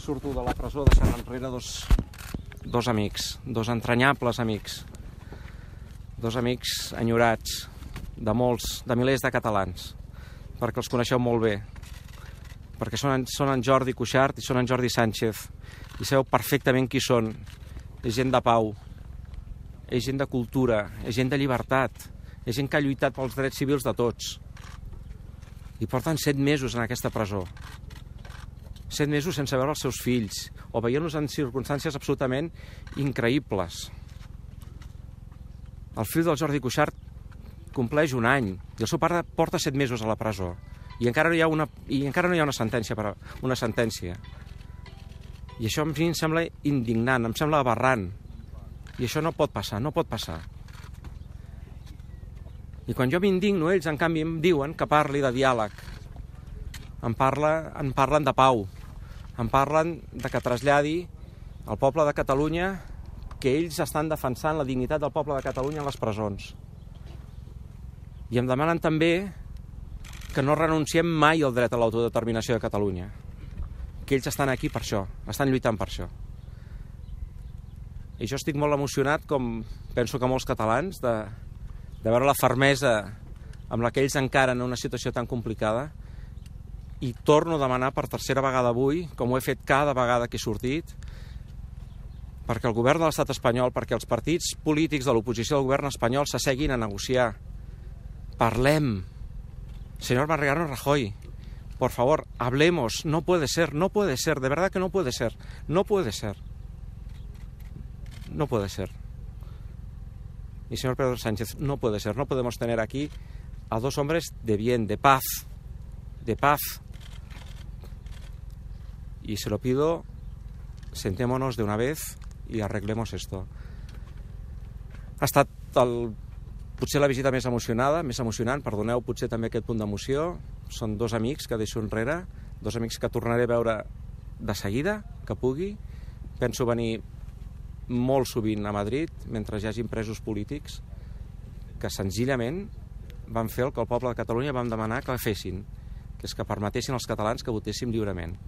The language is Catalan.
surto de la presó deixant enrere dos amics, dos entranyables amics, dos amics enyorats de milers de catalans, perquè els coneixeu molt bé, perquè són en Jordi Cuixart i són en Jordi Sánchez, i sabeu perfectament qui són. És gent de pau, és gent de cultura, és gent de llibertat, és gent que ha lluitat pels drets civils de tots. I porten 7 mesos en aquesta presó. 7 mesos sense veure els seus fills, o veient-los en circumstàncies absolutament increïbles. El fill del Jordi Cuixart compleix 1 any, i el seu pare porta 7 mesos a la presó, i encara no hi ha una sentència. I això a mi em sembla indignant, em sembla aberrant. I això no pot passar, no pot passar. I quan jo m'indigno, ells, en canvi, em diuen que parli de diàleg. Em parlen de pau. Em parlen de que traslladi al poble de Catalunya que ells estan defensant la dignitat del poble de Catalunya en les presons. I em demanen també que no renunciem mai al dret a l'autodeterminació de Catalunya. Que ells estan aquí per això, estan lluitant per això. I jo estic molt emocionat, com penso que molts catalans, de veure la fermesa amb la que ells encaren una situació tan complicada, i torno a demanar per tercera vegada avui, com ho he fet cada vegada que he sortit, perquè el govern de l'estat espanyol, perquè els partits polítics de l'oposició del govern espanyol s'asseguin a negociar. Parlem. Señor Mariano Rajoy, por favor, hablemos. No puede ser, de verdad que no puede ser. No puede ser. No puede ser. Y señor Pedro Sánchez, no puede ser. No podemos tener aquí a 2 hombres de bien, de paz. De paz. Y se lo pido, sentémonos de una vez y arreglemos esto. Ha estat potser la visita més emocionant, perdoneu potser també aquest punt d'emoció. Són 2 amics que deixo enrere, 2 amics que tornaré a veure de seguida, que pugui. Penso venir molt sovint a Madrid, mentre hi hagin presos polítics, que senzillament van fer el que el poble de Catalunya vam demanar que fessin, que és que permetessin als catalans que votéssim lliurement.